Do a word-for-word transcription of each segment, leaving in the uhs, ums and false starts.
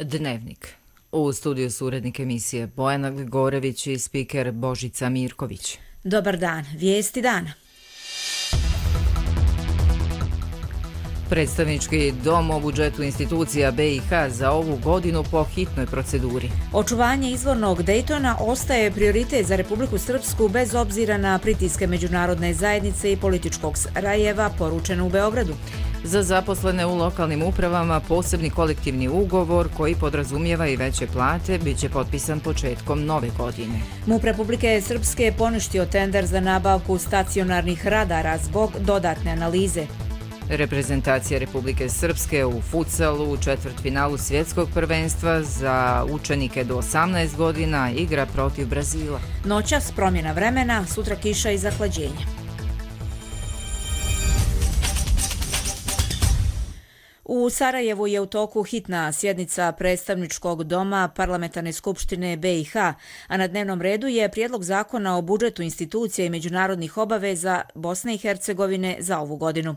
Dnevnik. U studiju su urednik emisije Bojana Gligorović i spiker Božica Mirković. Dobar dan, vijesti dana. Predstavnički dom o budžetu institucija B i H za ovu godinu po hitnoj proceduri. Očuvanje izvornog Dejtona ostaje prioritet za Republiku Srpsku bez obzira na pritiske međunarodne zajednice i političkog Sarajeva, poručeno u Beogradu. Za zaposlene u lokalnim upravama posebni kolektivni ugovor koji podrazumijeva i veće plate bit će potpisan početkom nove godine. MUP Republike Srpske je poništio tender za nabavku stacionarnih radara zbog dodatne analize. Reprezentacija Republike Srpske u futsalu u četvrtfinalu svjetskog prvenstva za učenike do osamnaest godina igra protiv Brazila. Noćas promjena vremena, sutra kiša i zahlađenje. U Sarajevu je u toku hitna sjednica predstavničkog doma Parlamentarne skupštine B i H, a na dnevnom redu je prijedlog zakona o budžetu institucija i međunarodnih obaveza Bosne i Hercegovine za ovu godinu.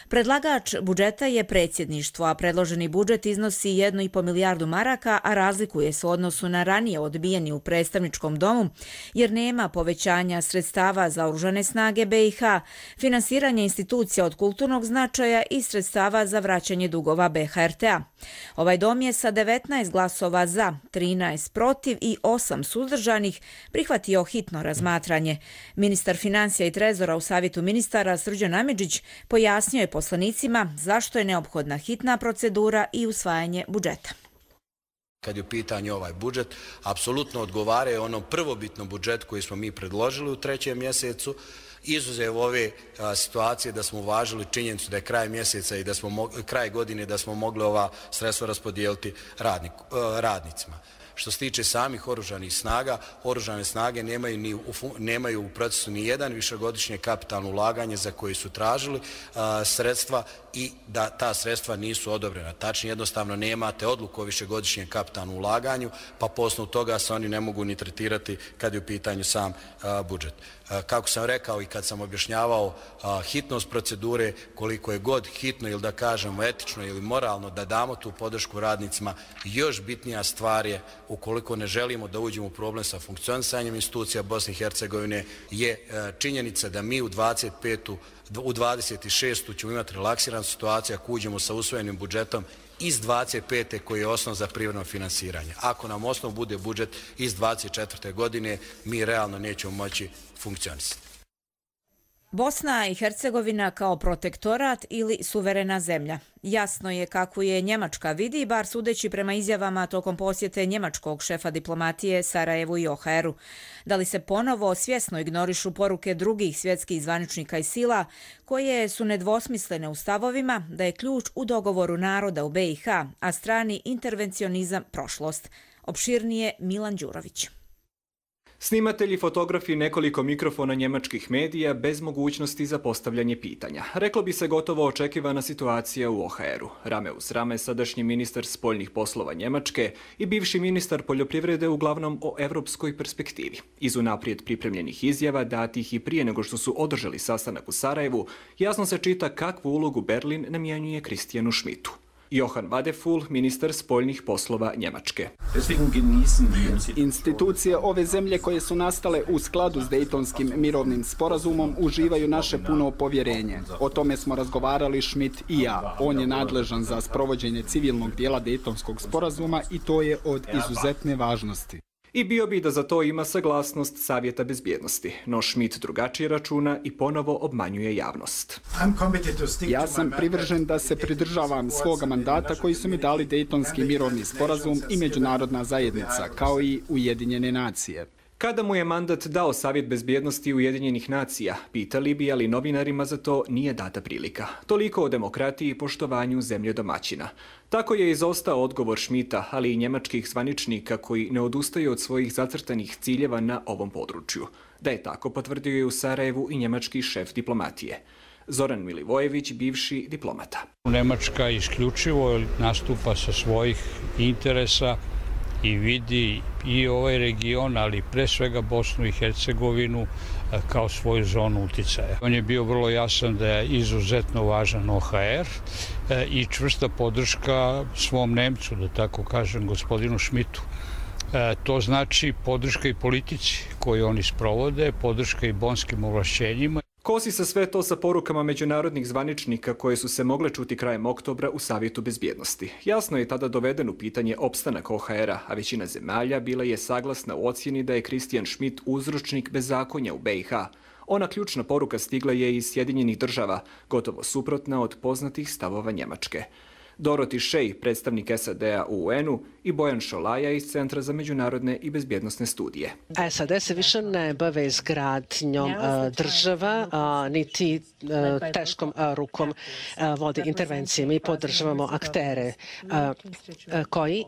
Predlagač budžeta je predsjedništvo, a predloženi budžet iznosi jednu i po milijardu maraka, a razlikuje se u odnosu na ranije odbijeni u predstavničkom domu, jer nema povećanja sredstava za oružane snage B i H, finansiranje institucija od kulturnog značaja i sredstava za vraćanje dugova B H R T-a. Ovaj dom je sa devetnaest glasova za, trinaest protiv i osam suzdržanih prihvatio hitno razmatranje. Ministar financija i trezora u Savjetu ministara Srđan Amidžić pojasnio je poslanicima zašto je neophodna hitna procedura i usvajanje budžeta. Kad je u pitanju ovaj budžet, apsolutno odgovaraju onom prvobitnom budžetu koji smo mi predložili u trećem mjesecu, izuzev ove a, situacije da smo uvažili činjenicu da je kraj mjeseca i da smo kraj godine da smo mogli ova sredstva raspodijeliti radnik, a, radnicima. Što se tiče samih oružanih snaga, oružane snage nemaju, ni u, nemaju u procesu ni jedan višegodišnje kapitalno ulaganje za koje su tražili a, sredstva i da ta sredstva nisu odobrena. Tačnije, jednostavno nemate odluku o višegodišnjem kapitalnom ulaganju, pa po osnovu toga se oni ne mogu ni tretirati kad je u pitanju sam a, budžet. A, kako sam rekao i kad sam objašnjavao a, hitnost procedure, koliko je god hitno ili da kažemo etično ili moralno da damo tu podršku radnicima, još bitnija stvar je, ukoliko ne želimo da uđemo u problem sa funkcionisanjem institucija Bosne i Hercegovine, je činjenica da mi u dvadeset petu u dvadeset šestu ćemo imati relaksiranu situaciju ako uđemo sa usvojenim budžetom iz dvadeset pete koji je osnov za privremeno finansiranje. Ako nam osnov bude budžet iz dvadeset četvrte godine, mi realno nećemo moći funkcionisati. Bosna i Hercegovina kao protektorat ili suverena zemlja. Jasno je kako je Njemačka vidi, bar sudeći prema izjavama tokom posjete njemačkog šefa diplomatije Sarajevu i O H R-u. Da li se ponovo svjesno ignorišu poruke drugih svjetskih zvaničnika i sila, koje su nedvosmislene u stavovima da je ključ u dogovoru naroda u B i H, a strani intervencionizam prošlost. Opširnije Milan Đurović. Snimatelji, fotografi, nekoliko mikrofona njemačkih medija bez mogućnosti za postavljanje pitanja. Reklo bi se gotovo očekivana situacija u O H R-u. Rame uz rame sadašnji ministar spoljnih poslova Njemačke i bivši ministar poljoprivrede uglavnom o evropskoj perspektivi. Iz unaprijed pripremljenih izjava, datih i prije nego što su održali sastanak u Sarajevu, jasno se čita kakvu ulogu Berlin namjenjuje Christianu Schmidtu. Johann Wadephul, ministar spoljnih poslova Njemačke. Institucije ove zemlje koje su nastale u skladu s Dejtonskim mirovnim sporazumom uživaju naše puno povjerenje. O tome smo razgovarali Schmidt i ja. On je nadležan za sprovođenje civilnog dijela Dejtonskog sporazuma i to je od izuzetne važnosti. I bio bi da za to ima saglasnost Savjeta bezbjednosti, no Schmidt drugačije računa i ponovo obmanjuje javnost. Ja sam privržen da se pridržavam svoga mandata koji su mi dali Dejtonski mirovni sporazum i međunarodna zajednica, kao i Ujedinjene nacije. Kada mu je mandat dao Savjet bezbjednosti Ujedinjenih nacija, pitali bi, ali novinarima za to nije data prilika. Toliko o demokratiji i poštovanju zemlje domaćina. Tako je izostao odgovor Schmidta, ali i njemačkih zvaničnika koji ne odustaju od svojih zacrtanih ciljeva na ovom području. Da je tako, potvrdio je u Sarajevu i njemački šef diplomatije. Zoran Milivojević, bivši diplomata. Njemačka isključivo nastupa sa svojih interesa i vidi i ovaj region, ali pre svega Bosnu i Hercegovinu kao svoju zonu uticaja. On je bio vrlo jasan da je izuzetno važan O H R i čvrsta podrška svom Nemcu, da tako kažem, gospodinu Schmidtu. To znači podrška i politici koju oni sprovode, podrška i bonskim ovlašćenjima. Kosi se sve to sa porukama međunarodnih zvaničnika koje su se mogle čuti krajem oktobra u Savjetu bezbjednosti. Jasno je tada doveden u pitanje opstanak O H R-a, a većina zemalja bila je saglasna u ocjeni da je Christian Schmidt uzročnik bezakonja u B i H. Ona ključna poruka stigla je iz Sjedinjenih država, gotovo suprotna od poznatih stavova Njemačke. Dorothy Shea, predstavnik S A D-a u U N-u, i Bojan Šolaja iz Centra za međunarodne i bezbjednosne studije. S A D se više ne bave izgradnjom država, niti teškom rukom vodi intervencije. Mi podržavamo aktere koji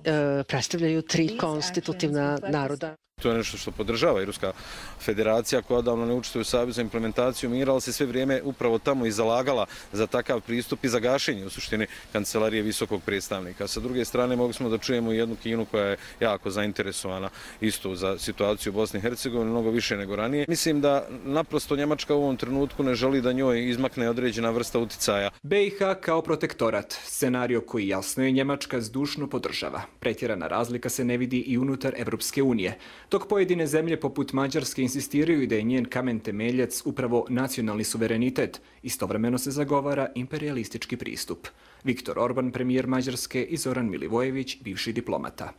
predstavljaju tri konstitutivna naroda. To je nešto što podržava i Ruska federacija koja odavno ne učestvuje u Savezu za implementaciju mira, ali se sve vrijeme upravo tamo i zalagala za takav pristup i za gašenje u suštini kancelarije visokog predstavnika. Sa druge strane mogli smo da čujemo jednu Kinu koja je jako zainteresovana isto za situaciju u Bosni i Hercegovini, mnogo više nego ranije. Mislim da naprosto Njemačka u ovom trenutku ne želi da njoj izmakne određena vrsta uticaja. B i H kao protektorat, scenario koji jasno je Njemačka zdušno podržava. Pretjerana razlika se ne vidi i unutar Evropske unije. Dok pojedine zemlje poput Mađarske insistiraju da je njen kamen temeljac upravo nacionalni suverenitet, istovremeno se zagovara imperialistički pristup. Viktor Orban, premijer Mađarske, i Zoran Milivojević, bivši diplomata.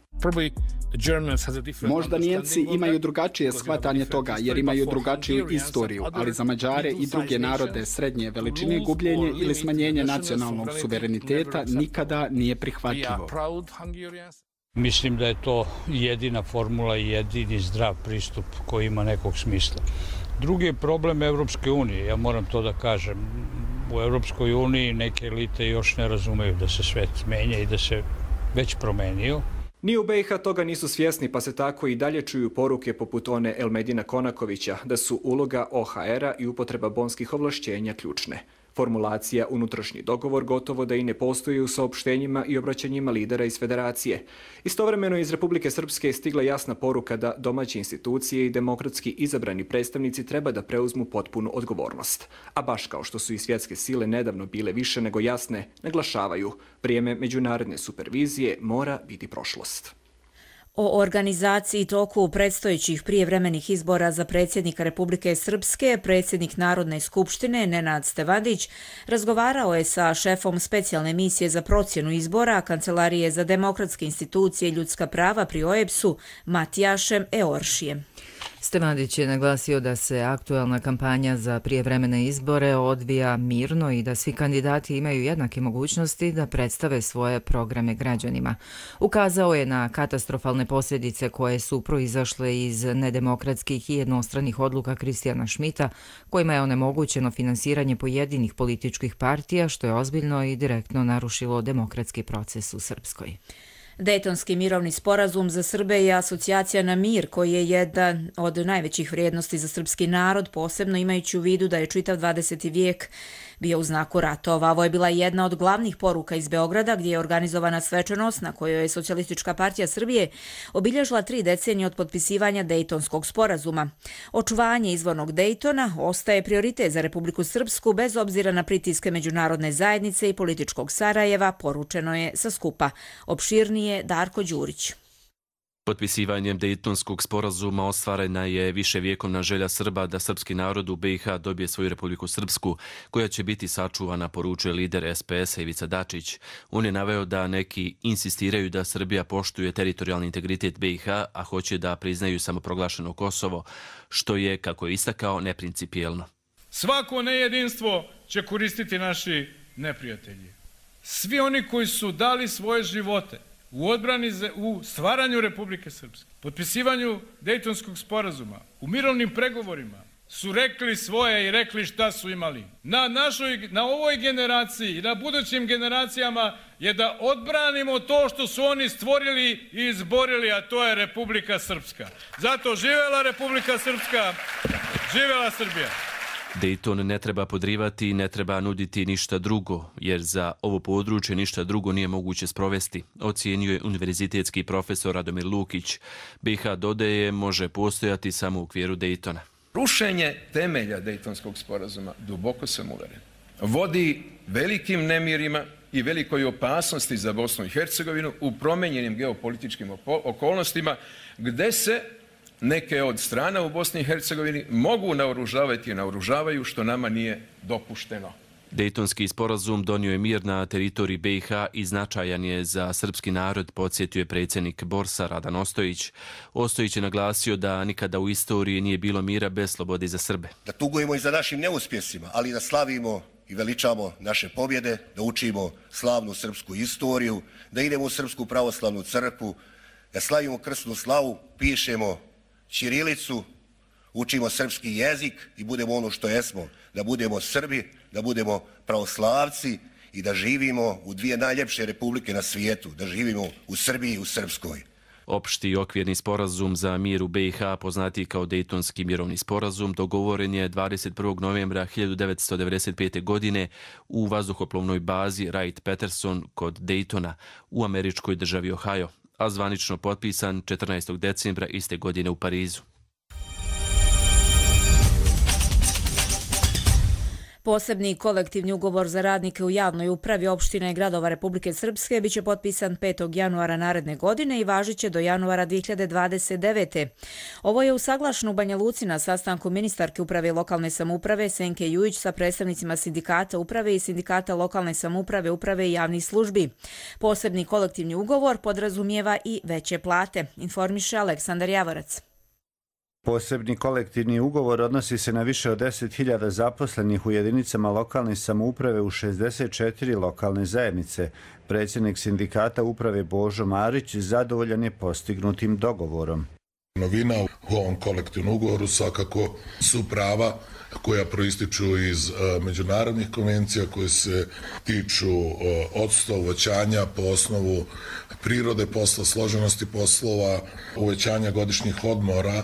Možda Nijemci imaju drugačije shvatanje toga jer imaju drugačiju istoriju, ali za Mađare i druge narode srednje veličine gubljenje ili smanjenje nacionalnog suvereniteta nikada nije prihvatljivo. Mislim da je to jedina formula i jedini zdrav pristup koji ima nekog smisla. Drugi je problem Evropske unije, ja moram to da kažem. U Evropskoj uniji neke elite još ne razumeju da se svet menja i da se već promenio. Ni u B i H toga nisu svjesni, pa se tako i dalje čuju poruke poput one Elmedina Konakovića da su uloga O H R-a i upotreba bonskih ovlašćenja ključne. Formulacija unutrašnji dogovor gotovo da i ne postoji u saopštenjima i obraćanjima lidera iz federacije. Istovremeno iz Republike Srpske je stigla jasna poruka da domaće institucije i demokratski izabrani predstavnici treba da preuzmu potpunu odgovornost. A baš kao što su i svjetske sile nedavno bile više nego jasne, naglašavaju, vrijeme međunarodne supervizije mora biti prošlost. O organizaciji i toku predstojećih prijevremenih izbora za predsjednika Republike Srpske, predsjednik Narodne skupštine Nenad Stevadić razgovarao je sa šefom specijalne misije za procjenu izbora Kancelarije za demokratske institucije i ljudska prava pri O E B S-u Matijašem Eoršijem. Stevadić je naglasio da se aktualna kampanja za prijevremene izbore odvija mirno i da svi kandidati imaju jednake mogućnosti da predstave svoje programe građanima. Ukazao je na katastrofalne posljedice koje su proizašle iz nedemokratskih i jednostranih odluka Christiana Schmidta, kojima je onemogućeno finansiranje pojedinih političkih partija, što je ozbiljno i direktno narušilo demokratski proces u Srpskoj. Dejtonski mirovni sporazum za Srbe je asocijacija na mir koji je jedan od najvećih vrijednosti za srpski narod, posebno imajući u vidu da je čitav dvadeseti vijek bio u znaku ratova. Ovo je bila jedna od glavnih poruka iz Beograda gdje je organizovana svečanost na kojoj je Socijalistička partija Srbije obilježila tri decenije od potpisivanja Dejtonskog sporazuma. Očuvanje izvornog Dejtona ostaje prioritet za Republiku Srpsku bez obzira na pritiske međunarodne zajednice i političkog Sarajeva, poručeno je sa skupa. Opširnije Darko Đurić. Potpisivanjem Dejtonskog sporazuma ostvarena je viševjekovna želja Srba da srpski narod u B i H dobije svoju Republiku Srpsku, koja će biti sačuvana, poručuje lider S P S-a Ivica Dačić. On je naveo da neki insistiraju da Srbija poštuje teritorijalni integritet B i H, a hoće da priznaju samoproglašeno Kosovo, što je, kako je istakao, neprincipijelno. Svako nejedinstvo će koristiti naši neprijatelji. Svi oni koji su dali svoje živote u odbrani, u stvaranju Republike Srpske, potpisivanju Dejtonskog sporazuma, u mirovnim pregovorima, su rekli svoje i rekli šta su imali. Na, našoj, na ovoj generaciji i na budućim generacijama je da odbranimo to što su oni stvorili i izborili, a to je Republika Srpska. Zato živela Republika Srpska, živela Srbija. Dayton ne treba podrivati i ne treba nuditi ništa drugo, jer za ovo područje ništa drugo nije moguće sprovesti, ocijenio je univerzitetski profesor Radomir Lukić. B i H, dodaje, može postojati samo u okviru Daytona. Rušenje temelja Dejtonskog sporazuma, duboko sam uveren, vodi velikim nemirima i velikoj opasnosti za Bosnu i Hercegovinu u promenjenim geopolitičkim okolnostima, gde se neke od strana u Bosni i Hercegovini mogu naoružavati i naoružavaju, što nama nije dopušteno. Dejtonski sporazum donio je mir na teritoriji B i H i značajan je za srpski narod, podsjetio je predsjednik Borsa Radan Ostojić. Ostojić je naglasio da nikada u istoriji nije bilo mira bez slobode za Srbe. Da tugujemo i za našim neuspjesima, ali da slavimo i veličamo naše pobjede, da učimo slavnu srpsku istoriju, da idemo u Srpsku pravoslavnu crkvu, da slavimo krsnu slavu, pišemo ćirilicu, učimo srpski jezik i budemo ono što jesmo, da budemo Srbi, da budemo pravoslavci i da živimo u dvije najljepše republike na svijetu, da živimo u Srbiji i u Srpskoj. Opšti okvirni sporazum za mir u B i H, poznati kao Dejtonski mirovni sporazum, dogovoren je dvadeset prvog novembra hiljadu devetsto devedeset pete. godine u vazduhoplovnoj bazi Wright-Patterson kod Daytona u američkoj državi Ohio, a zvanično potpisan četrnaestog decembra iste godine u Parizu. Posebni kolektivni ugovor za radnike u javnoj upravi opština i gradova Republike Srpske biće potpisan petog januara naredne godine i važiće do januara dvije hiljade dvadeset devete. Ovo je usaglašeno u Banja Luci na sastanku ministarke uprave i lokalne samouprave Senke Jujić sa predstavnicima sindikata uprave i sindikata lokalne samouprave, uprave i javnih službi. Posebni kolektivni ugovor podrazumijeva i veće plate, informiše Aleksandar Javorac. Posebni kolektivni ugovor odnosi se na više od deset hiljada zaposlenih u jedinicama lokalne samouprave u šezdeset četiri lokalne zajednice. Predsjednik sindikata uprave Božo Marić zadovoljan je postignutim dogovorom. Novina u ovom kolektivnom ugovoru svakako su prava koja proističu iz međunarodnih konvencija koje se tiču odsustva, uvećanja po osnovu prirode posla, složenosti poslova, uvećanja godišnjih odmora,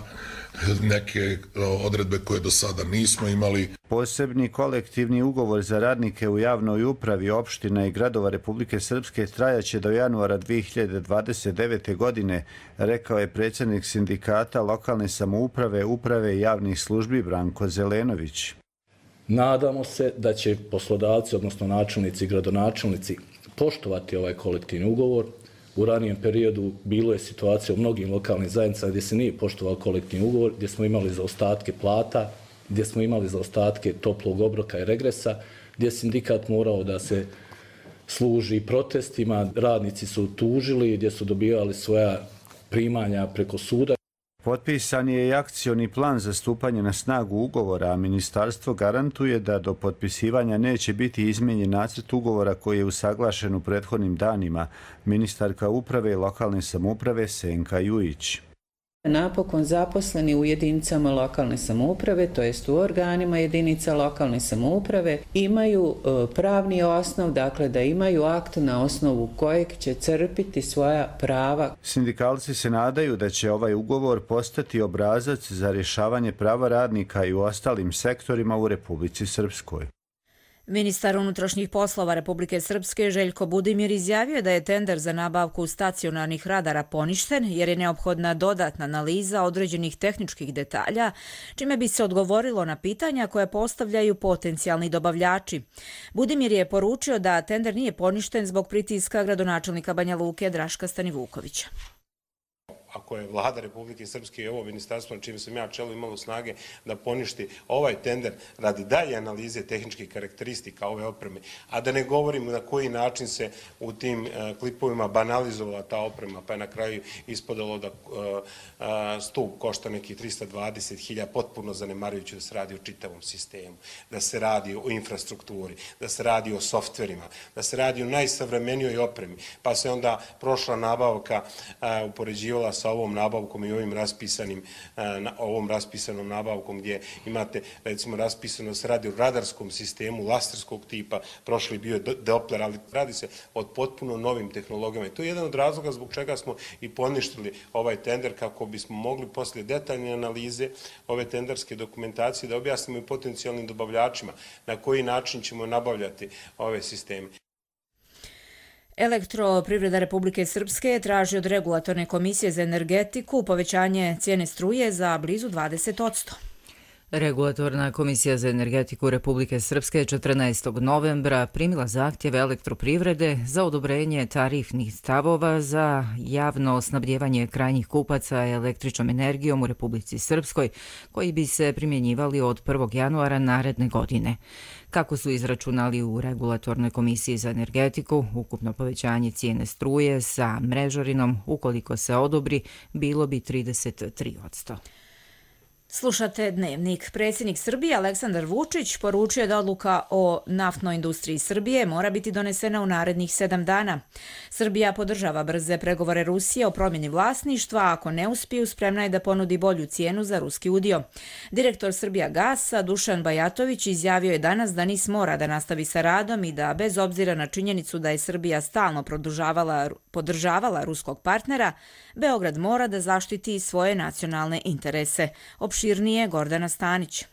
neke odredbe koje do sada nismo imali. Posebni kolektivni ugovor za radnike u javnoj upravi opština i gradova Republike Srpske trajaće do januara dvije hiljade dvadeset devete. godine, rekao je predsjednik sindikata lokalne samouprave, uprave i javnih službi Branko Zelenović. Nadamo se da će poslodavci, odnosno načelnici i gradonačelnici, poštovati ovaj kolektivni ugovor. U ranijem periodu bilo je situacija u mnogim lokalnim zajednicama gdje se nije poštovao kolektivni ugovor, gdje smo imali zaostatke plata, gdje smo imali zaostatke toplog obroka i regresa, gdje je sindikat morao da se služi protestima, radnici su tužili, gdje su dobivali svoja primanja preko suda. Potpisan je i akcioni plan za stupanje na snagu ugovora, a ministarstvo garantuje da do potpisivanja neće biti izmijenjen nacrt ugovora koji je usaglašen u prethodnim danima. Ministarka uprave i lokalne samouprave Senka Jujić. Napokon zaposleni u jedinicama lokalne samouprave, to jest u organima jedinica lokalne samouprave, imaju pravni osnov, dakle da imaju akt na osnovu kojeg će crpiti svoja prava. Sindikalci se nadaju da će ovaj ugovor postati obrazac za rješavanje prava radnika i u ostalim sektorima u Republici Srpskoj. Ministar unutrašnjih poslova Republike Srpske Željko Budimir izjavio da je tender za nabavku stacionarnih radara poništen jer je neophodna dodatna analiza određenih tehničkih detalja, čime bi se odgovorilo na pitanja koje postavljaju potencijalni dobavljači. Budimir je poručio da tender nije poništen zbog pritiska gradonačelnika Banja Luke Draška Stanivukovića. Ako je vlada Republike Srpske i ovo ministarstvo na čim sam ja čelo imalo snage da poništi ovaj tender radi dalje analize tehničkih karakteristika ove opreme, a da ne govorim na koji način se u tim klipovima banalizovala ta oprema, pa je na kraju ispodalo da stup košta nekih trista dvadeset hiljada, potpuno zanemarujući da se radi o čitavom sistemu, da se radi o infrastrukturi, da se radi o softverima, da se radi o najsavremenijoj opremi, pa se onda prošla nabavka upoređivala sa ovom nabavkom i ovim raspisanim, ovom raspisanom nabavkom gdje imate recimo raspisanost radi u radarskom sistemu laserskog tipa, prošli bio je Doppler, ali radi se o potpuno novim tehnologijama. I to je jedan od razloga zbog čega smo i poništili ovaj tender, kako bismo mogli poslije detaljne analize ove tenderske dokumentacije da objasnimo i potencijalnim dobavljačima na koji način ćemo nabavljati ove sisteme. Elektroprivreda Republike Srpske traži od Regulatorne komisije za energetiku povećanje cijene struje za blizu dvadeset posto. Regulatorna komisija za energetiku Republike Srpske četrnaestog novembra primila zahtjeve elektroprivrede za odobrenje tarifnih stavova za javno snabdjevanje krajnjih kupaca električnom energijom u Republici Srpskoj, koji bi se primjenjivali od prvog januara naredne godine. Kako su izračunali u Regulatornoj komisiji za energetiku, ukupno povećanje cijene struje sa mrežarinom, ukoliko se odobri, bilo bi trideset tri posto. Slušate Dnevnik. Predsjednik Srbije Aleksandar Vučić poručuje da odluka o naftnoj industriji Srbije mora biti donesena u narednih sedam dana. Srbija podržava brze pregovore Rusije o promjeni vlasništva, a ako ne uspiju, spremna je da ponudi bolju cijenu za ruski udio. Direktor Srbijagasa Dušan Bajatović izjavio je danas da NIS mora da nastavi sa radom i da, bez obzira na činjenicu da je Srbija stalno podržavala ruskog partnera, Beograd mora da zaštiti svoje nacionalne interese. Opširnije Gordana Stanić.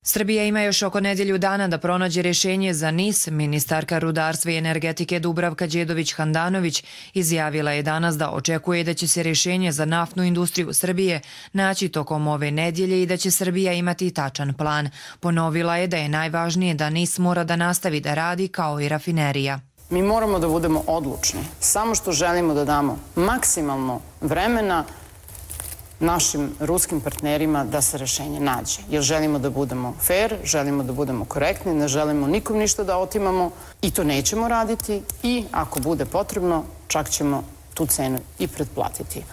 Srbija ima još oko nedjelju dana da pronađe rješenje za NIS. Ministarka rudarstva i energetike Dubravka Đedović-Handanović izjavila je danas da očekuje da će se rješenje za naftnu industriju Srbije naći tokom ove nedjelje i da će Srbija imati tačan plan. Ponovila je da je najvažnije da NIS mora da nastavi da radi kao i rafinerija. Mi moramo da budemo odlučni, samo što želimo da damo maksimalno vremena našim ruskim partnerima da se rješenje nađe. Jer želimo da budemo fair, želimo da budemo korektni, ne želimo nikom ništa da otimamo i to nećemo raditi i ako bude potrebno, čak ćemo tu cenu i pretplatiti.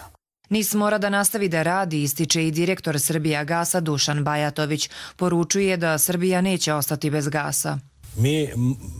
NIS mora da nastavi da radi, ističe i direktor Srbijagasa Dušan Bajatović. Poručuje da Srbija neće ostati bez gasa. Mi,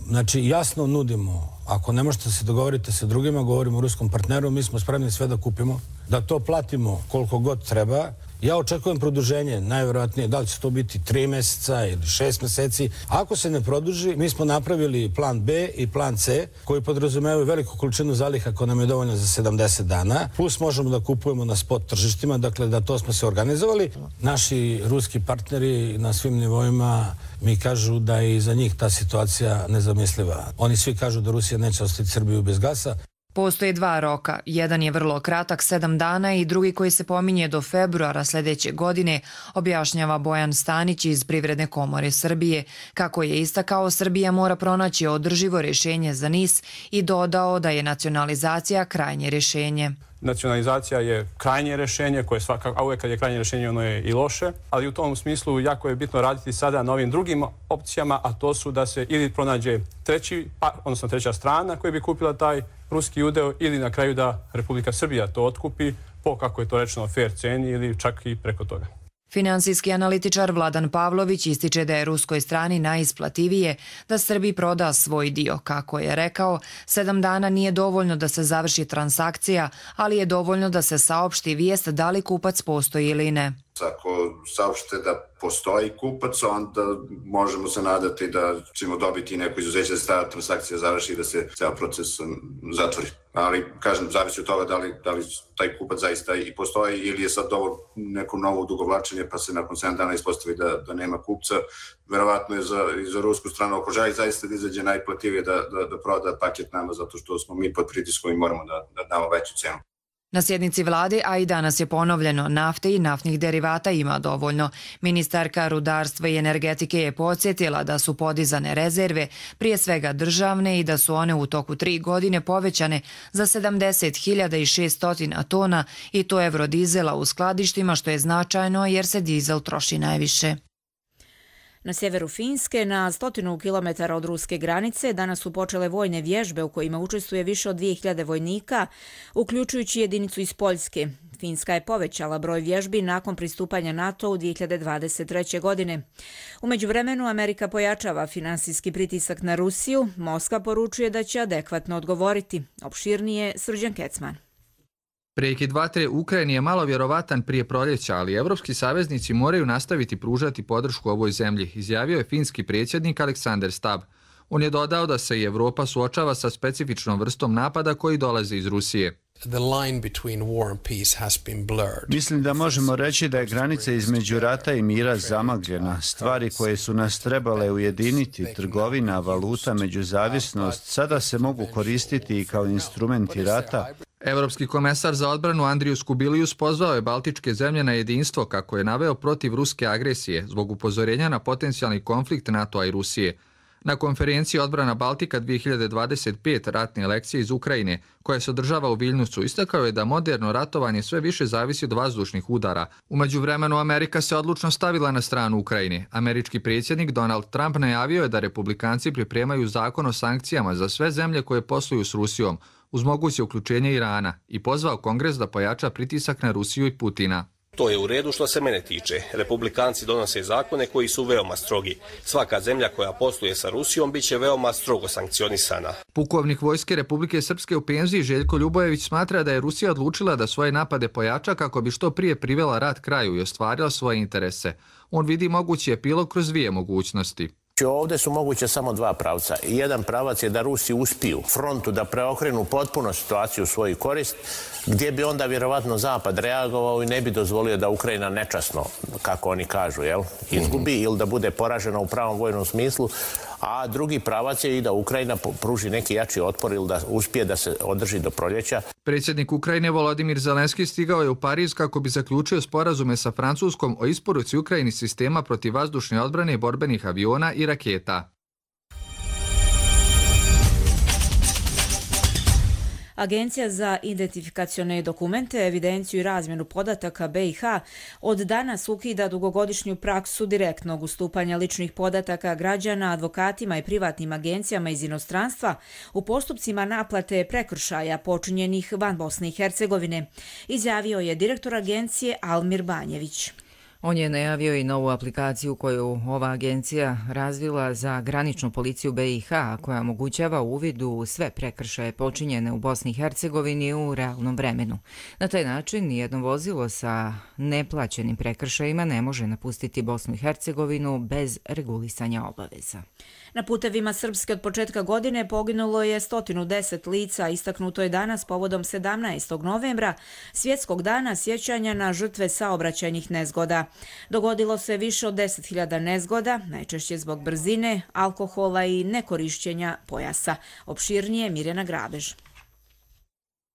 znači, jasno nudimo, ako ne možete se dogovoriti sa drugima, govorimo o ruskom partneru, mi smo spremni sve da kupimo, da to platimo koliko god treba. Ja očekujem produženje, najvjerojatnije, da li će to biti tri mjeseca ili šest mjeseci. Ako se ne produži, mi smo napravili plan B i plan C, koji podrazumevaju veliku količinu zaliha koja nam je dovoljna za sedamdeset dana, plus možemo da kupujemo na spot tržištima, dakle da to smo se organizovali. Naši ruski partneri na svim nivoima mi kažu da je i za njih ta situacija nezamisliva. Oni svi kažu da Rusija neće ostaviti Srbiju bez gasa. Postoje dva roka. Jedan je vrlo kratak, sedam dana, i drugi koji se pominje do februara sljedeće godine, objašnjava Bojan Stanić iz Privredne komore Srbije. Kako je istakao, Srbija mora pronaći održivo rješenje za NIS i dodao da je nacionalizacija krajnje rješenje. Nacionalizacija je krajnje rješenje, koje svakako, a uvijek kad je krajnje rješenje ono je i loše, ali u tom smislu jako je bitno raditi sada na ovim drugim opcijama, a to su da se ili pronađe treći, odnosno treća strana koja bi kupila taj ruski udeo, ili na kraju da Republika Srbija to otkupi po, kako je to rečeno, fair ceni ili čak i preko toga. Finansijski analitičar Vladan Pavlović ističe da je ruskoj strani najisplativije da Srbiji proda svoj dio. Kako je rekao, sedam dana nije dovoljno da se završi transakcija, ali je dovoljno da se saopšti vijest da li kupac postoji ili ne. Ako saopšte da postoji kupac, onda možemo se nadati da ćemo dobiti neko izuzeće da se ta transakcija završi i da se ceo proces zatvori. Ali, kažem, zavisi od toga da li, da li taj kupac zaista i postoji ili je sad ovo neko novo odugovlačenje pa se nakon sedam dana ispostavi da, da nema kupca. Verovatno je za, i za rusku stranu, ako želi zaista da izađe najplativije da, da, da proda paket nama, zato što smo mi pod pritiskom i moramo da, da damo veću cenu. Na sjednici vlade, a i danas je ponovljeno, nafte i naftnih derivata ima dovoljno. Ministarka rudarstva i energetike je podsjetila da su podizane rezerve, prije svega državne, i da su one u toku tri godine povećane za sedamdeset hiljada šesto tona, i to evrodizela u skladištima, što je značajno jer se dizel troši najviše. Na sjeveru Finske, na stotinu kilometara od ruske granice, danas su počele vojne vježbe u kojima učestvuje više od dvije hiljade vojnika, uključujući jedinicu iz Poljske. Finska je povećala broj vježbi nakon pristupanja NATO u dvije hiljade dvadeset treće. godine. U međuvremenu Amerika pojačava finansijski pritisak na Rusiju. Moskva poručuje da će adekvatno odgovoriti. Opširnije Srđan Kecman. Prekid vatre u Ukrajini je malo vjerovatan prije proljeća, ali evropski saveznici moraju nastaviti pružati podršku ovoj zemlji, izjavio je finski predsjednik Aleksander Stab. On je dodao da se i Evropa suočava sa specifičnom vrstom napada koji dolaze iz Rusije. Mislim da možemo reći da je granica između rata i mira zamagljena. Stvari koje su nas trebale ujediniti, trgovina, valuta, međuzavisnost, sada se mogu koristiti i kao instrumenti rata. Evropski komesar za odbranu Andrius Kubilius pozvao je baltičke zemlje na jedinstvo kako je naveo protiv ruske agresije zbog upozorenja na potencijalni konflikt NATO-a i Rusije. Na konferenciji Odbrana Baltika dvije hiljade dvadeset pet ratne lekcije iz Ukrajine, koja se održava u Viljnusu, istakao je da moderno ratovanje sve više zavisi od vazdušnih udara. U međuvremenu Amerika se odlučno stavila na stranu Ukrajine. Američki predsjednik Donald Trump najavio je da republikanci pripremaju zakon o sankcijama za sve zemlje koje posluju s Rusijom, uz moguće uključenje Irana, i pozvao Kongres da pojača pritisak na Rusiju i Putina. To je u redu što se mene tiče. Republikanci donose zakone koji su veoma strogi. Svaka zemlja koja posluje sa Rusijom bit će veoma strogo sankcionisana. Pukovnik Vojske Republike Srpske u penziji Željko Ljubojević smatra da je Rusija odlučila da svoje napade pojača kako bi što prije privela rat kraju i ostvarila svoje interese. On vidi mogući epilog kroz dvije mogućnosti. Ovdje su moguće samo dva pravca. Jedan pravac je da Rusi uspiju frontu da preokrenu potpuno situaciju u svoju korist, gdje bi onda vjerovatno Zapad reagovao i ne bi dozvolio da Ukrajina nečasno, kako oni kažu, jel, izgubi ili da bude poražena u pravom vojnom smislu, a drugi pravac je i da Ukrajina pruži neki jači otpor ili da uspije da se održi do proljeća. Predsjednik Ukrajine Volodimir Zelenski stigao je u Pariz kako bi zaključio sporazume sa Francuskom o isporuci Ukrajini sistema protivvazdušne odbrane i borbenih aviona i raketa. Agencija za identifikacione dokumente, evidenciju i razmjenu podataka B i H od danas ukida dugogodišnju praksu direktnog ustupanja ličnih podataka građana, advokatima i privatnim agencijama iz inostranstva u postupcima naplate prekršaja počinjenih van Bosne i Hercegovine, izjavio je direktor agencije Almir Banjević. On je najavio i novu aplikaciju koju ova agencija razvila za graničnu policiju B i H, koja omogućava uvid u sve prekršaje počinjene u Bosni i Hercegovini u realnom vremenu. Na taj način nijedno vozilo sa neplaćenim prekršajima ne može napustiti Bosnu i Hercegovinu bez regulisanja obaveza. Na putevima Srpske od početka godine poginulo je sto deset lica, istaknuto je danas povodom sedamnaestog novembra, svjetskog dana sjećanja na žrtve saobraćajnih nezgoda. Dogodilo se više od deset hiljada nezgoda, najčešće zbog brzine, alkohola i nekorišćenja pojasa. Opširnije Mirjana Grabež.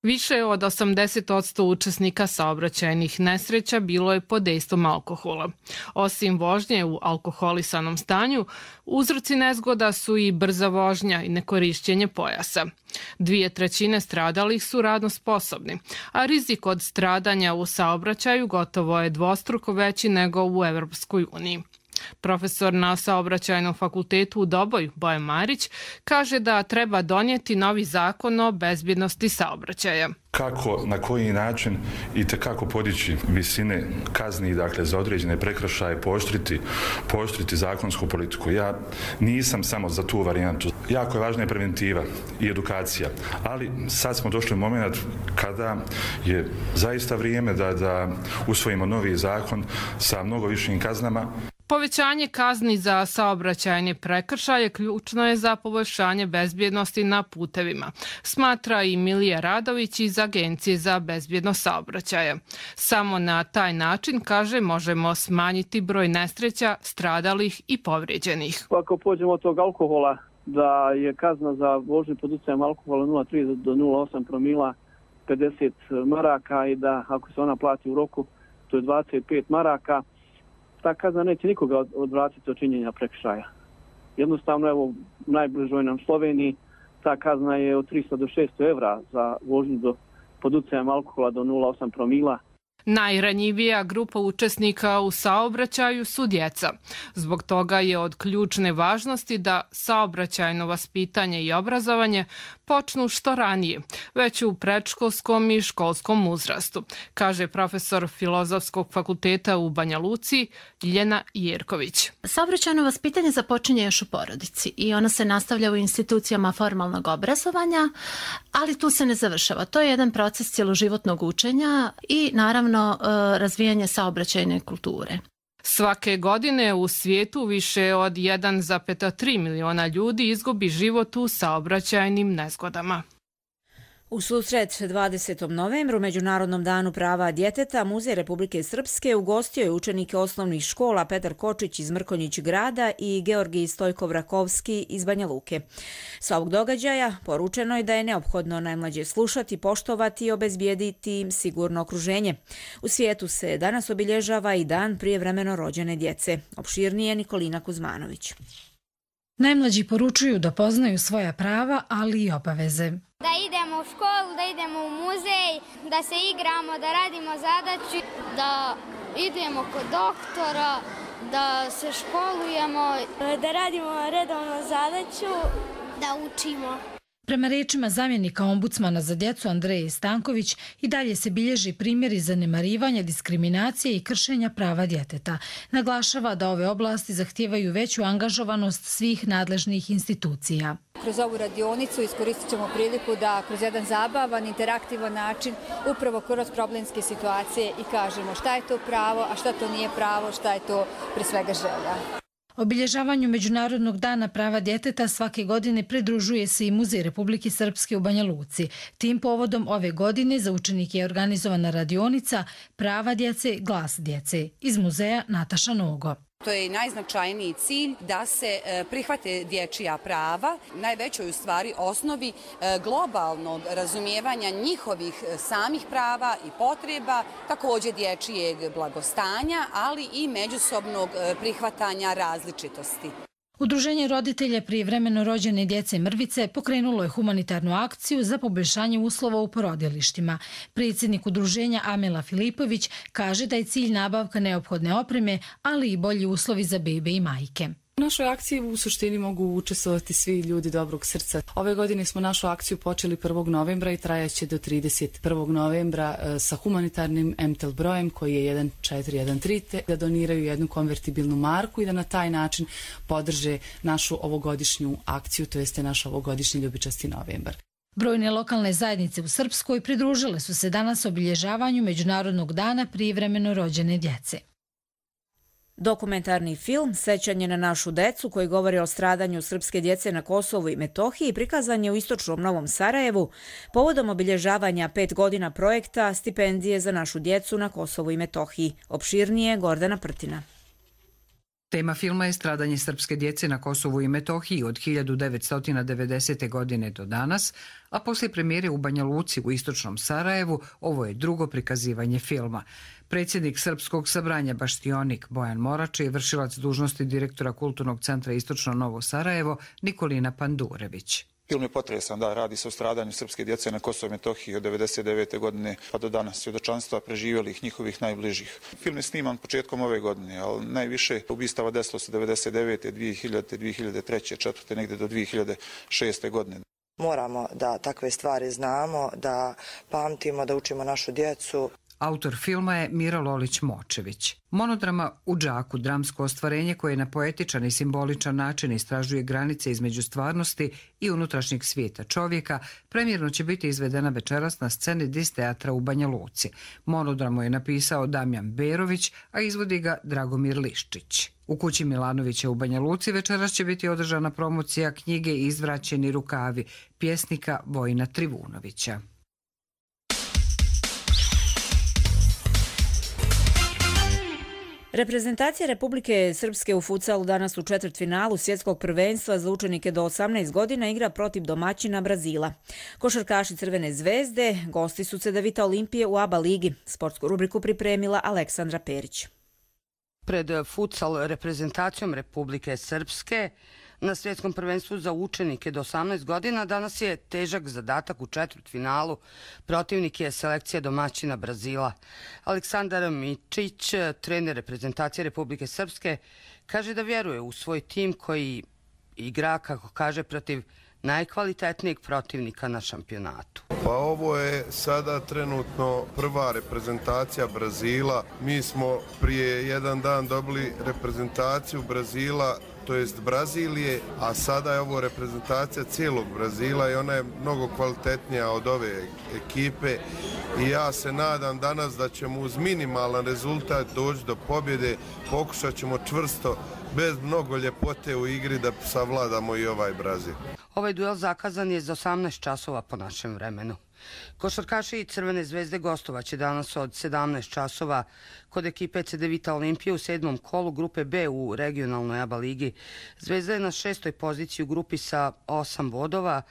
Više od osamdeset posto učesnika saobraćajnih nesreća bilo je pod dejstvom alkohola. Osim vožnje u alkoholisanom stanju, uzroci nezgoda su i brza vožnja i nekorišćenje pojasa. Dvije trećine stradalih su radno sposobni, a rizik od stradanja u saobraćaju gotovo je dvostruko veći nego u Evropskoj uniji. Profesor na Saobraćajnom fakultetu u Doboju, Bojan Marić, kaže da treba donijeti novi zakon o bezbjednosti saobraćaja. Kako, na koji način i tekako podići visine kazni, dakle, za određene prekršaje, pooštriti, pooštriti zakonsku politiku. Ja nisam samo za tu varijantu. Jako je važna je preventiva i edukacija, ali sad smo došli u moment kada je zaista vrijeme da, da usvojimo novi zakon sa mnogo višim kaznama. Povećanje kazni za saobraćajne prekršaje ključno je za poboljšanje bezbjednosti na putevima, smatra i Milija Radović iz Agencije za bezbjednost saobraćaja. Samo na taj način, kaže, možemo smanjiti broj nesreća, stradalih i povrijeđenih. Ako pođemo od tog alkohola, da je kazna za vožnju pod utjecajem alkohola nula zarez tri do nula zarez osam promila pedeset maraka i da ako se ona plati u roku, to je dvadeset pet maraka, ta kazna neće nikoga odvratiti od činjenja prekršaja. Jednostavno, evo, u najbližoj nam Sloveniji ta kazna je od tristo do šesto evra za vožnju do, pod utjecajem alkohola do nula zarez osam promila. Najranjivija grupa učesnika u saobraćaju su djeca. Zbog toga je od ključne važnosti da saobraćajno vaspitanje i obrazovanje počnu što ranije, već u predškolskom i školskom uzrastu, kaže profesor Filozofskog fakulteta u Banja Luci Ljiljana Jerković. Saobraćajno vaspitanje započinje još u porodici i ono se nastavlja u institucijama formalnog obrazovanja, ali tu se ne završava. To je jedan proces cjeloživotnog učenja i naravno razvijanje saobraćajne kulture. Svake godine u svijetu više od jedan zarez tri miliona ljudi izgubi život u saobraćajnim nezgodama. U susret dvadesetom novembru, Međunarodnom danu prava djeteta, Muzej Republike Srpske ugostio je učenike osnovnih škola Petar Kočić iz Mrkonjić grada i Georgij Stojkov-Rakovski iz Banja Luke. Sa ovog događaja poručeno je da je neophodno najmlađe slušati, poštovati i obezbijediti im sigurno okruženje. U svijetu se danas obilježava i dan prijevremeno rođene djece. Opširnije Nikolina Kuzmanović. Najmlađi poručuju da poznaju svoja prava, ali i obaveze. Da idemo u školu, da idemo u muzej, da se igramo, da radimo zadaću, da idemo kod doktora, da se školujemo, da radimo redovno zadaću, da učimo. Prema rečima zamjenika ombudsmana za djecu Andreje Stanković, i dalje se bilježi primjeri zanemarivanja, diskriminacije i kršenja prava djeteta. Naglašava da ove oblasti zahtijevaju veću angažovanost svih nadležnih institucija. Kroz ovu radionicu iskoristit ćemo priliku da kroz jedan zabavan, interaktivan način, upravo kroz problemske situacije i kažemo šta je to pravo, a šta to nije pravo, šta je to pre svega želja. Obilježavanju Međunarodnog dana prava djeteta svake godine pridružuje se i Muzej Republike Srpske u Banja Luci. Tim povodom ove godine za učenike je organizovana radionica Prava djece, glas djece. Iz muzeja Nataša Nogo. To je najznačajniji cilj da se prihvate dječja prava, najvećoj u stvari osnovi globalnog razumijevanja njihovih samih prava i potreba, također dječjeg blagostanja, ali i međusobnog prihvatanja različitosti. Udruženje roditelja prijevremeno rođene djece Mrvice pokrenulo je humanitarnu akciju za poboljšanje uslova u porodilištima. Predsjednik udruženja Amela Filipović kaže da je cilj nabavka neophodne opreme, ali i bolji uslovi za bebe i majke. U našoj akciji u suštini mogu učestvovati svi ljudi dobrog srca. Ove godine smo našu akciju počeli prvog novembra i trajaće do trideset prvog novembra sa humanitarnim em te el brojem koji je jedan četiri jedan tri, da doniraju jednu konvertibilnu marku i da na taj način podrže našu ovogodišnju akciju, to jeste naš ovogodišnji ljubičasti novembar. Brojne lokalne zajednice u Srpskoj pridružile su se danas obilježavanju Međunarodnog dana prijevremeno rođene djece. Dokumentarni film Sećanje na našu decu, koji govori o stradanju srpske djece na Kosovu i Metohiji, prikazan je u istočnom Novom Sarajevu povodom obilježavanja pet godina projekta Stipendije za našu djecu na Kosovu i Metohiji. Opširnije Gordana Prtina. Tema filma je stradanje srpske djece na Kosovu i Metohiji od hiljadu devetsto devedesete. godine do danas, a poslije premijere u Banja Luci u istočnom Sarajevu ovo je drugo prikazivanje filma. Predsjednik Srpskog sabranja Baštionik Bojan Morače i vršilac dužnosti direktora Kulturnog centra Istočno Novo Sarajevo Nikolina Pandurević. Film je potresan, da, radi se o stradanju srpske djece na Kosovu i Metohiji od devedeset devete. godine pa do danas, svjedočanstva preživjelih njihovih najbližih. Film je sniman početkom ove godine, ali najviše ubistava desilo se devedeset devete. dvije hiljade. dvije hiljade treće. četvrte. negdje do dvije hiljade šeste. godine. Moramo da takve stvari znamo, da pamtimo, da učimo našu djecu. Autor filma je Miro Lolić-Močević. Monodrama U džaku, dramsko ostvarenje koje na poetičan i simboličan način istražuje granice između stvarnosti i unutrašnjeg svijeta čovjeka, premjerno će biti izvedena večeras na sceni Dis teatra u Banja Luci. Monodramu je napisao Damjan Berović, a izvodi ga Dragomir Liščić. U kući Milanovića u Banja Luci večeras će biti održana promocija knjige Izvraćeni rukavi pjesnika Vojina Trivunovića. Reprezentacija Republike Srpske u futsalu danas u četvrtfinalu svjetskog prvenstva za učenike do osamnaest godina igra protiv domaćina Brazila. Košarkaši Crvene zvezde gosti su Cedevita Olimpije u ABA ligi. Sportsku rubriku pripremila Aleksandra Perić. Pred futsal reprezentacijom Republike Srpske Na svjetskom prvenstvu za učenike do osamnaest godina danas je težak zadatak u četvrtfinalu. Protivnik je selekcija domaćina Brazila. Aleksandar Mičić, trener reprezentacije Republike Srpske, kaže da vjeruje u svoj tim koji igra, kako kaže, protiv najkvalitetnijeg protivnika na šampionatu. Pa ovo je sada trenutno prva reprezentacija Brazila. Mi smo prije jedan dan dobili reprezentaciju Brazila, to jest Brazilije, a sada je ovo reprezentacija cijelog Brazila i ona je mnogo kvalitetnija od ove ekipe i ja se nadam danas da ćemo uz minimalan rezultat doći do pobjede. Pokušat ćemo čvrsto, bez mnogo ljepote u igri, da savladamo i ovaj Brazil. Ovaj duel zakazan je za osamnaest časova po našem vremenu. Košarkaši i Crvene zvezde gostovaće danas od sedamnaest časova kod ekipe Cedevita Olimpije u sedmom kolu grupe B u regionalnoj A B A ligi. Zvezda je na šestoj poziciji u grupi sa osam bodova,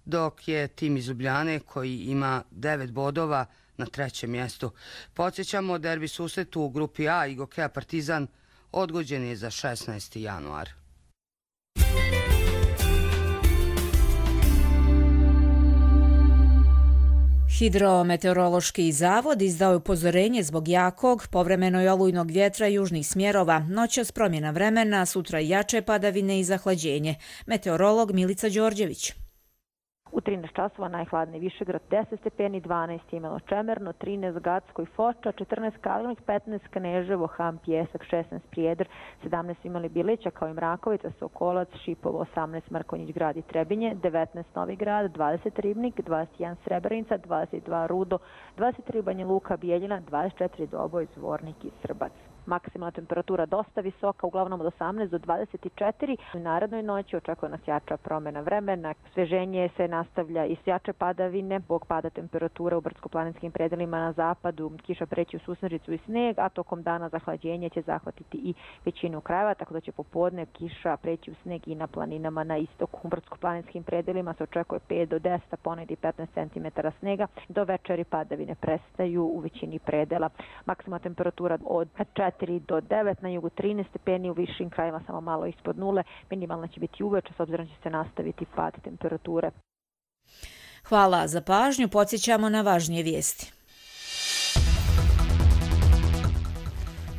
dok je tim iz Ljubljane koji ima devet bodova na trećem mjestu. Podsjećamo, derbi susret u grupi A i Gokeja Partizan odgođen je za šesnaesti januar. Hidrometeorološki zavod izdao je upozorenje zbog jakog, povremeno i olujnog vjetra južnih smjerova, noćas promjena vremena, sutra jače padavine i zahlađenje. Meteorolog Milica Đorđević. U trinaest časova najhladniji Višegrad deset stepeni, dvanaest Imelo Čemerno, trinaest Gacko i Foča, četrnaest Kalinović, petnaest Kneževo, Ham, Pjesak, šesnaest Prijedor, sedamnaest Imali Bilića kao i Mrakovica, Sokolac, Šipovo, osamnaest Mrkonjić Grad i Trebinje, devetnaest Novi Grad, dvadeset Ribnik, dvadeset jedan Srebrenica, dvadeset dva Rudo, dvadeset tri Banja Luka, Bijeljina, dvadeset četiri Doboj, Zvornik i Srbac. Maksimalna temperatura dosta visoka, uglavnom od osamnaest do dvadeset četiri. U narednoj noći očekuje nas jača promjena vremena. Sveženje se nastavlja i s jače padavine. Zbog pada temperature u brdsko-planinskim predelima na zapadu kiša preći u susnežicu i sneg, a tokom dana zahlađenje će zahvatiti i većinu krajeva, tako da će popodne kiša preći u sneg i na planinama na istoku. U brdsko-planinskim predelima se očekuje pet do deset, a ponegdje i petnaest centimetara snega. Do večeri padavine prestaju u većini predela. Maksimalna temperatura od četiri do devet, na jugu trinaest stepeni, u višim krajima samo malo ispod nule. Minimalna će biti uveče, s obzirom će se nastaviti pad temperature. Hvala za pažnju, podsjećamo na važnije vijesti.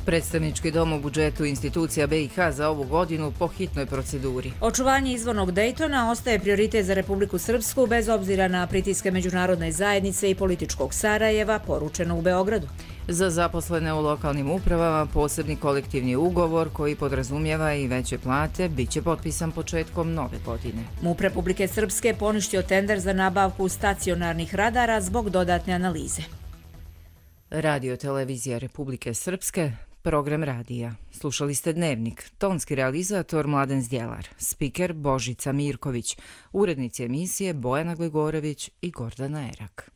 Predstavnički dom u budžetu institucija B i H za ovu godinu po hitnoj proceduri. Očuvanje izvornog Dejtona ostaje prioritet za Republiku Srpsku bez obzira na pritiske međunarodne zajednice i političkog Sarajeva, poručeno u Beogradu. Za zaposlene u lokalnim upravama posebni kolektivni ugovor koji podrazumijeva i veće plate biće potpisan početkom nove godine. MUP Republike Srpske poništio tender za nabavku stacionarnih radara zbog dodatne analize. Radio televizija Republike Srpske, program radija. Slušali ste Dnevnik, tonski realizator Mladen Zdjelar, spiker Božica Mirković, urednici emisije Bojana Gligorović i Gordana Erak.